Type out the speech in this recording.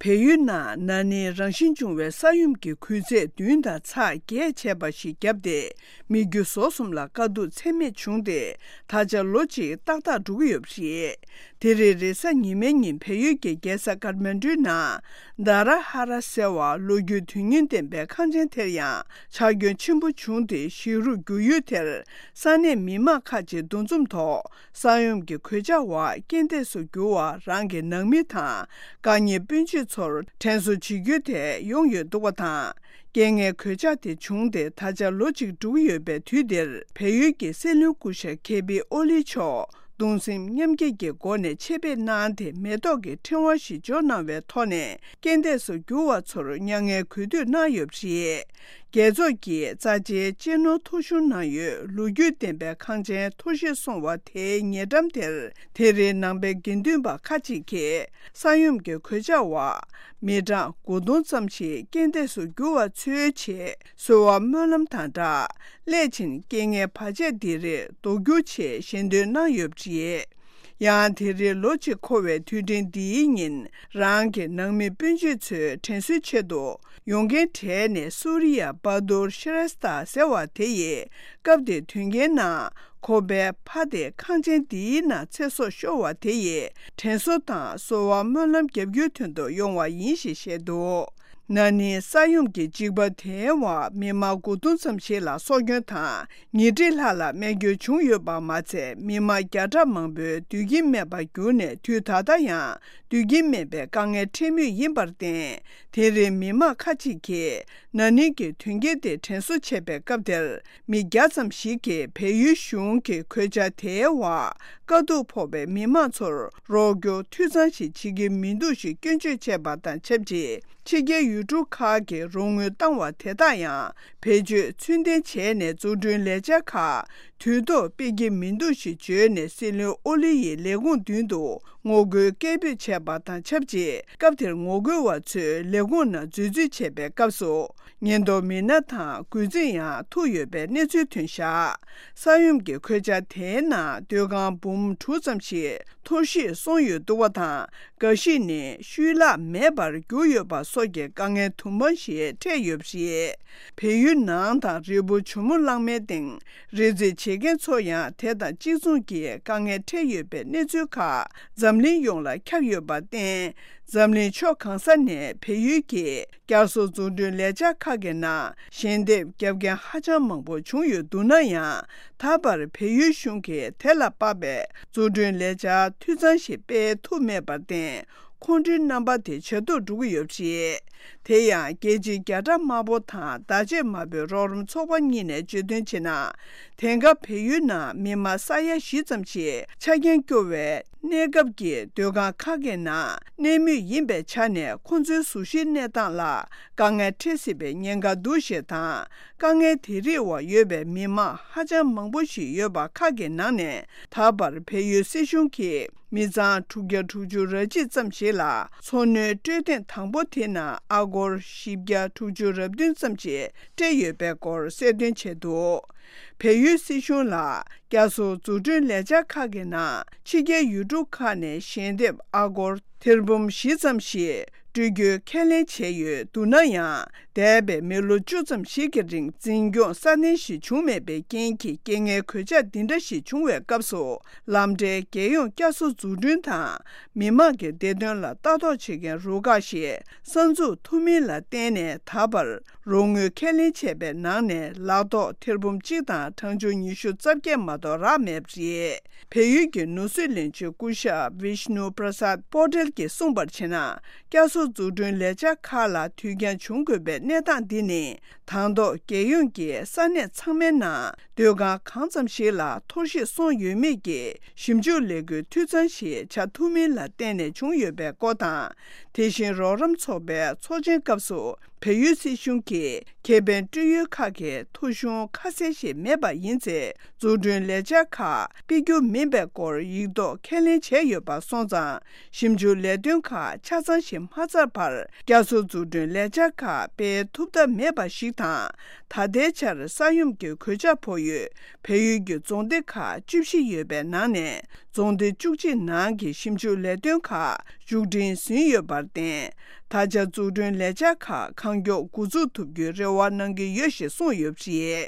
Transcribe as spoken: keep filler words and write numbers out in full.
བལ་ཡུལ་ནང་ན་ནིང་རང་བཞིན་བྱུང་བའི་ས་ཡོམ་གྱི་འགུལ་ཚད་བདུན་དང་ཚེག་བརྒྱད་བྱས་པ་ཞིག་བརྒྱབ་སྟེ། མི་རྒྱུ་ཟོག་གསུམ་ལ་དཀའ་སྡུག་ཚད་མེད་བྱུང་སྟེ། ད་ཆ་ལོ་གཅིག་ཏག་ཏག་འགྲོ་གི་ཡོད་པ་རེད། དེ་རིང་རེས་གཟའ་ཉི་མའི་ཉིན་བལ་ཡུལ་གྱི་རྒྱལ་ས་ཀཏ་མན་ཌུའི་ནང་། དཱ་ར་ཧ་ར་ཟེར་བ་ལོ་རྒྱུས་དོན་སྙིང་ལྡན་པའི་ཁང་ཆེན་དེར་ཡང་ཆག་སྐྱོན་ཆེན་པོ་བྱུང་སྟེ། ཞིག་རུ་རྒྱུག་ཡུལ་དེར་ས་གནས་མི་མང་ཁག་ཅིག་འདུ་འཛོམས་ཐོག་ས་ཡོམ་གྱི་གོད་ཆག་འོག་རྐྱེན་འདས་སུ་གྱུར་བ་རང་གི་ནང་མི་དང་། དཀའ་ཉེན་སྤོན་བྱེད་ཚོར་དྲན་གསོ་བྱེད་རྒྱུའི་ཐད་ཡོང་ཡོད་འདུག་པ་དང་། རྐྱེན་ངན་གོད་ཆག་དེ་བྱུང་སྟེ་ད་ཆ་ལོ་གཅིག་འགྲོ་གི་ཡོད་པའི་དུས་འདིར། བལ་ཡུལ་གྱི་སྲིད་བློན་སྐུ་ཞབས་ཁེ་པི་ཨོ་ལི་མཆོག་གདུང་སེམས་མཉམ་སྐྱེད་ཀྱི་སྒོ་ནས་ཆེད་ཕེབས་གནང་སྟེ། མེ་ཏོག་གི་ཕྲེང་བ་ཞིག་འཇོག་གནང་བའི་ཐོག་ནས། རྐྱེན་འདས་སུ་གྱུར་བ་ཚོར་མྱ་ངན་གུས་འདུད་གནང་ཡོད་པ་རེད། རྒྱལ་ཚོགས་ཀྱི་རྩ་ཆེའི་གཅེས་ནོར་ཐོ་གཞུང་ནང་ཡོད་ལོ་རྒྱུས་ལྡན་པའི་ཁང་ཆེན་འཐོར་ཞིག་སོང་བ་དེའི་ཉེ་འགྲམ་དེར། དེ་རིང་ནང་པའི་དགེ་འདུན་པ་ཁག་ཅིག་གིས་ས་ཡོམ་གྱི་གོད་ཆག་འོག་མི་གྲངས་དགུ་སྟོང་ཙམ་ཞིག་རྐྱེན་འདས་སུ་གྱུར་བ་ཚོའི་ཆེད་གསོལ་བ་སྨོན་ལམ་དང་སྦྲགས། སླད་ཕྱིན་རྐྱེན་ངན་བར་ཆད་འདི་རིགས་ཟློག་རྒྱུའི་ཆེད་ཞལ་འདོན་གནང་ཡོད་པ་རེད། ཡང་དེ་རིང་ལོ་གཅིག་འཁོར་བའི་དུས་དྲན་འདིའི་ཉིན། རང་གི་ནང་མི་སྤུན་མཆེད་ཚོའི་དྲན་གསོའི་ཆེད་དུ། ཡོང་མཁན་གྲས་ནས་སུ་རི་ཡ་བ་དུར་ཤི་རེས་ཏཱ་ཟེར་བ་དེ་ཡིས། སྐབས་དེ་དུས་རྐྱེན་ནང་ཁོ་པའི་ཕ་དེ་ཁང་ཆེན་འདིའི་ནང་ཚེ་སྲོག་ཤོར་བ་དེ་ཡི་དྲན་གསོ་དང་གསོལ་བ་སྨོན་ལམ་རྒྱབ་རྒྱུའི་དོན་དུ་ཡོང་བ་ཡིན་ཞེས་བཤད་འདུག། ན་ནིང་ས་ཡོམ་གྱི་འཇིགས་པ་དེའི་འོག་མི་མང་དགུ་སྟོང་ཙམ་ཞིག་ལ་སྲོག་སྐྱོན་དང་། ཉིས་ཁྲི་ལྷག་ལ་རྨས་སྐྱོན་བྱུང་ཡོད་པ་མ་ཚད། མི་མང་བརྒྱ་ཕྲག་མང་པོའི་སྡོད་ཀྱིན་མེད་པར་གྱུར་ནས། དུས་ད་ལྟ་ཡང་སྡོད་ཀྱིན་མེད་པའི་དཀའ་ངལ་འཕྲད་མུས་ཡིན་པར་བརྟེན། དེ་རིང་མི་མང་ཁག་ཅིག་གིས་ན་ནིང་གི་དོན་རྐྱེན་དེ་དྲན་གསོ་བྱེད་པའི་སྐབས་དེར། མི་བརྒྱ་ཙམ་ཞིག་གིས་བལ་ཡུལ་གཞུང་གི་གོད་ཆག་དེའི་འོག་དཀའ་སྡུག་ཕོག་པའི་མི་མང་ཚོར་རོགས་སྐྱོར་འཐུས་ཚང་ཞིག་བྱེད་ཀྱི་མི་འདུག་ཞེས་སྐྱོན་བརྗོད་བྱས་པ་དང་ཆབས་ཅིག། ཕྱི་རྒྱལ་ཡུལ་གྲུ་ཁག་གིས་རོགས་དངུལ་བཏང་བ་དེ་དག་ཡང་བེད་སྤྱོད་ཚུལ་ལྡན་བྱས་ནས། འཛུགས་སྐྲུན་ལས་འཆར་ཁག་དུས་ཐོག་སྤེལ་གྱི་མི་འདུག་ཞེས་བརྗོད་ནས། སྲིད་བློན་ཨོ་ལི་ཡི་ལས་ཁུངས་མདུན་དུ་ངོ་རྒོལ་སྐད་འབོད་བྱས་པ་དང་ཆབས་ཅིག། སྐབས་དེར་ངོ་རྒོལ་བ་ཚོས་ལས་ཁུངས་ནང་འཛུལ་རྩིས་བྱས་པའི་སྐབས་སུ། ཉེན་རྟོག་མི་སྣ་དང་འགོས་འཛིན་ཡང་ཐུག་ཡོད་པའི་གནས་ཚུལ་ཐོན་བཞག། ས་ཡོམ་གྱི་གོད་ཆག་དེའི་ནང་སྡོད་ཁང་འབུམ་དྲུག་ཙམ་ཞིག་འཐོར་ཞིག་སོང་ཡོད་འདུག་པ་དང་། འགའ་ཞིག་ནི་ཤུལ་བརླག་མེད་པར་གྱུར་ཡོད་པ་སོགས་ཀྱི་དཀའ་ངལ་དུ་མ་ཞིག་འཕྲད་ཡོད་པ་རེད། བལ་ཡུལ་ནང་དང་རི་བོ་ཇོ་མོ་གླང་མའི་སྟེང་རི་འཛེག་བྱེད་མཁན་ཚོ་ཡང་དེ་དང་གཅིག་མཚུངས་ཀྱི་དཀའ་ངལ་འཕྲད་ཡོད་པའི་གནས་ཚུལ་ཁག་འཛམ་གླིང་ཡོངས་ལ་ཁྱབ་ཡོད་པར་བརྟེན། འཛམ་གླིང་ཕྱོགས་གང་ས་ནས་བལ་ཡུལ་གྱི་བསྐྱར་གསོ་འཛུགས་སྐྲུན་ལས་འཆར་ཁག་གི་ནང་ཞལ་འདེབས་རྒྱབ་མཁན་ཧ་ཅང་མང་པོ་བྱུང་ཡོད་འདུག་ན་ཡང་། ད་བར་བལ་ཡུལ་གཞུང་གིས་དེ་ལ་དཔག་པའི་འཛུགས་སྐྲུན་ལས་འཆར་འཐུས་ཚང་ཞིག་སྤེལ་ཐུབ་མེད་པར་བརྟེན། ཁོང་ཁྲོའི་རྣམ་པ་དེ་ཇེ་སྡུག་འགྲོ་གི་ཡོད་པ་རེད། དེ་ཡང་རྒྱལ་སྤྱིའི་རྒྱ་གྲམ་དམར་པོ་དང་བརྡ་ཆད་དམར་པོའི་རོགས་རམ་ཚོགས་པ་གཉིས་ནས་བརྗོད་དོན་བྱས་ན། དེང་སྐབས་བལ་ཡུལ་ནང་མི་མང་ས་ཡ་བཞི་ཙམ་ཞིག་ཆ་རྐྱེན་སྐྱོ་བའི་གནས་སྐབས་ཀྱི་སྡོད་ཁང་ཁག་གི་ནང་གནས་མུས་ཡིན་པའི་ཆ་ནས། ཁོང་ཚོའི་གཟུགས་གཞིའི་གནས་སྟངས་ལ་དཀའ་ངལ་འཕྲད་སྲིད་པའི་ཉེན་ཁ་འདུག་ཞེས་དང་། དཀའ་ངལ་དེ་རིགས་འོག་ཡོད་པའི་མི་མང་ཧ་ཅང་མང་པོ་ཞིག་ཡོད་པ་ཁག་གི་ནང་ནས། ད་བར་བལ་ཡུལ་སྲིད་གཞུང་གིས་མི་ཚང་དྲུག་བརྒྱ་དྲུག་ཅུ་རེ་གཅིག་ཙམ་ཞིག་ལ་འཚོ་སྣོན་སྤྲོད་ཐེངས་དང་པོ་དེ་ནང་ཨ་སྒོར་བཞི་བརྒྱ་དྲུག་ཅུ་རེ་བདུན་ཙམ་ཞིག་སྤྲད་ཡོད་པའི་སྐོར་གསལ་སྟོན་བྱས་འདུག། བལ་ཡུལ་སྲིད་གཞུང་ལ་བསྐྱར་གསོ་འཛུགས་སྐྲུན་ལས་འཆར་ཁག་གི་ནང་ཕྱི་རྒྱལ་ཡུལ་གྲུ་ཁག་ནས་ཞལ་འདེབས་ཨ་སྒོར་ཐེར་འབུམ་བཞི་ཙམ་ཞིག་སྤྲོད་རྒྱུའི་ཁས་ལེན་བྱས་ཡོད་འདུག་ན་ཡང་། འདས་པའི་མི་ལོ་བཅུ་ཙམ་ཞིག་གི་རིང་འཛིན་སྐྱོང་སྲ་བརྟན་ཞིག་བྱུང་མེད་པའི་རྐྱེན་གྱིས། རྐྱེན་ངན་གོད་ཆག་འདི་འདྲ་ཞིག་བྱུང་བའི་སྐབས་སུ། ལམ་འབྲས་རྒྱལ་ཡོངས་བསྐྱར་གསོ་འཛུགས་སྐྲུན་དང་མི་མང་གི་བདེ་དོན་ལ་ལྟ་རྟོག་བྱེད་མཁན་རུ་ཁག་ཞིག་གསར་འཛུགས་ཐུབ་མིན་ལ་བརྟེན་ནས། ད་བར་རོགས་དངུལ་ཁས་ལེན་བྱས་པའི་ནང་ནས་ལག་ཐོགས་ཐེར་འབུམ་གཅིག་དང་གྲངས་ཆུང་ཉི་ཤུ་རྩ་བརྒྱད་མ་གཏོགས་རག་མེད་པ་རེད། བལ་ཡུལ་གྱི་ནོར་སྲིད་བློན་ཆེན་སྐུ་ཞབས་ཝིཤ་ནུ་པྲ་སཱད་པོ་ཏེལ་གྱིས་གསུངས་པར་བྱས་ན། བསྐྱར་གསོ་འཛུགས་སྐྲུན་ལས་འཆར་ཁག་ལ་དུས་འགྱངས་བྱུང་དགོས་པའི་གནས་སྟངས་འདི་ནི། དང་ཐོག་རྒྱལ་ཡོངས་ཀྱི་ས་གནས་ཚང་མའི་ནང་སྡོད་ཁང་གང་ཙམ་ཞིག་ལ་འཐོར་ཞིག་སོང་ཡོད་མེད་ཀྱི་ཞིབ་འཇུག་ལས་འགུལ་འཐུས་ཚང་ཞིག་བྱ་ཐུབ་མིན་ལ་བརྟེན་ནས་བྱུང་ཡོད་པའི་སྐོར་དང་། དེ་བཞིན་རོགས་རམ་ཚོགས་པའི་ཚོགས་ཆེན་སྐབས་སུ། བལ་ཡུལ་སྲིད་གཞུང་གིས་ཁེ་ཕན་སྤྲོད་ཡུལ་ཁག་གི་ཐོ་གཞུང་ཁ་གསལ་ཞིག་མེད་པ་ཡིན་ཚེ། འཛུགས་སྐྲུན་ལས་འཆར་ཁག་སྤེལ་རྒྱུ་མིན་པའི་སྐོར་ཡིག་ཐོག་ཁས་ལེན་བྱས་ཡོད་པ་སོང་ཙང་། ཞིབ་འཇུག་ལས་དོན་ཁག་ཆ་ཚང་ཞིག་མ་ཚར་བར། བསྐྱར་གསོ་འཛུགས་སྐྲུན་ལས་འཆར་ཁག་སྤེལ་ཐུབ་ཐབས་མེད་པ་ཞིག་དང་། ད་ལྟའི་ཆར་ས་ཡོམ་གྱི་གོད་ཆག་ཕོག་ཡུལ་བལ་ཡུལ་གྱི་རྫོང་སྡེ་ཁག་བཅུ་བཞི་ཡོད་པའི་ནང་ནས། རྫོང་སྡེ་བཅུ་གཅིག་ནང་གི་ཞིབ་འཇུག་ལས་དོན་ཁག་ མཇུག་སྒྲིལ་ཟིན་ཡོད་པར་བརྟེན། ད་ཆ་འཛུགས་སྐྲུན་ལས་འཆར་ཁག་གང་མགྱོགས་འགོ་འཛུགས་ཐུབ་རྒྱུའི་རེ་བ་གནང་གི་ཡོད་ཞེས་གསུངས་ཡོད་པ་རེད།